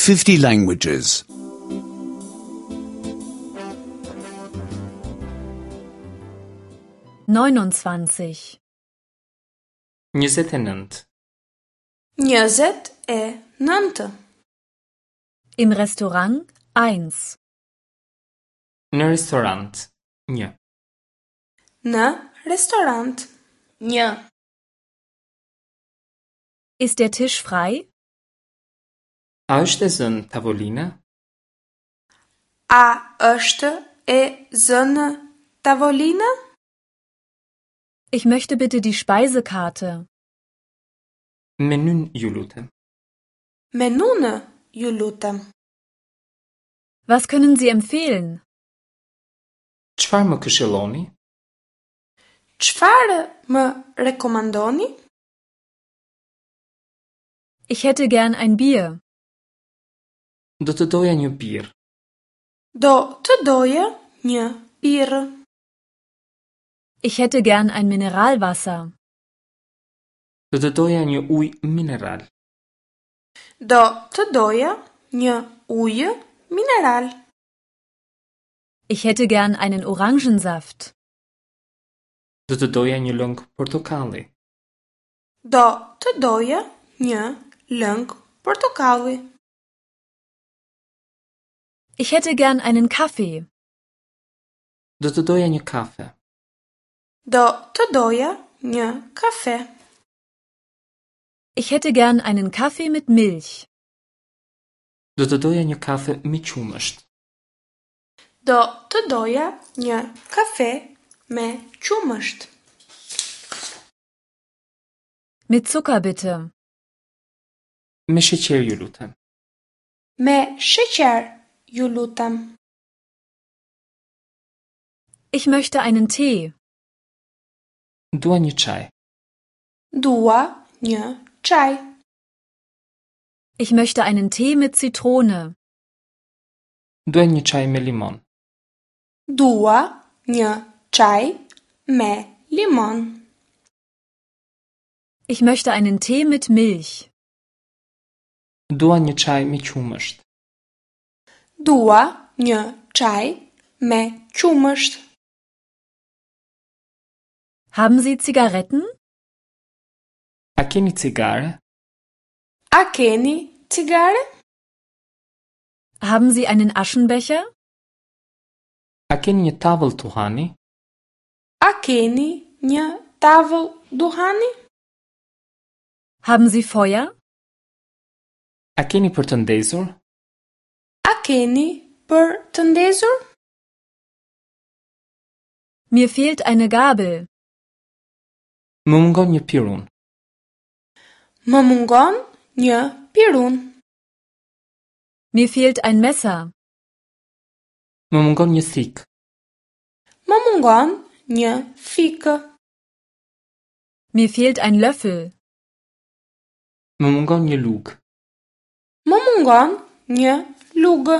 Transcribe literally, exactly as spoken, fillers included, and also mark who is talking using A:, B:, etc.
A: fifty languages.
B: neunundzwanzig
C: njëzet e nëntë.
D: Njëzet e nëntë.
B: Im Restaurant eins.
C: Në restorant një.
D: Në restorant një.
B: Ist der Tisch frei?
C: A është e zënë tavolina?
D: A është e zënë tavolina?
B: Ich möchte bitte die Speisekarte.
C: Menyn ju lutem.
D: Menunë ju lutem.
B: Was können Sie empfehlen?
C: Çfarë më këshilloni?
D: Çfarë më rekomandoni?
B: Ich hätte gern ein Bier.
C: Do të doja një birrë.
D: Do të doja një birrë.
B: Ich hätte gern ein Mineralwasser.
C: Do të doja një ujë mineral.
D: Do të doja një ujë mineral.
B: Ich hätte gern einen Orangensaft.
C: Do të doja një lëng portokalli.
D: Do të doja një lëng portokalli.
B: Ich hätte gern einen Kaffee.
C: Do të doja një kafe.
D: Do të doja një kafe.
B: Ich hätte gern einen Kaffee mit Milch.
C: Do të doja një kafe me qumësht.
D: Do të doja një kafe me qumësht.
B: Mit Zucker bitte.
C: Me sheqer ju lutem.
D: Me sheqer ju lutem.
B: Ich möchte einen Tee.
C: Dua një çaj.
D: Dua një çaj.
B: Ich möchte einen Tee mit Zitrone.
C: Dua një çaj me limon.
D: Dua një çaj me limon.
B: Ich möchte einen Tee mit Milch.
C: Dua një çaj me qumësht.
D: Dua një çaj me qumësht.
B: Haben Sie Zigaretten?
C: A keni cigare?
D: A keni cigare?
B: Haben Sie einen Aschenbecher?
C: A keni një tavëll duhani?
D: A keni një tavëll duhani?
B: Haben Sie Feuer?
C: A keni për të ndezur?
D: A keni për të ndezur?
B: Mir fehlt eine Gabel.
C: Më mungon një pirun.
D: Më mungon një pirun.
B: Mir fehlt ein Messer.
C: Më mungon një thikë.
D: Më mungon një thikë.
B: Mir fehlt ein Löffel.
C: Më mungon një lugë.
D: Më mungon një lugë.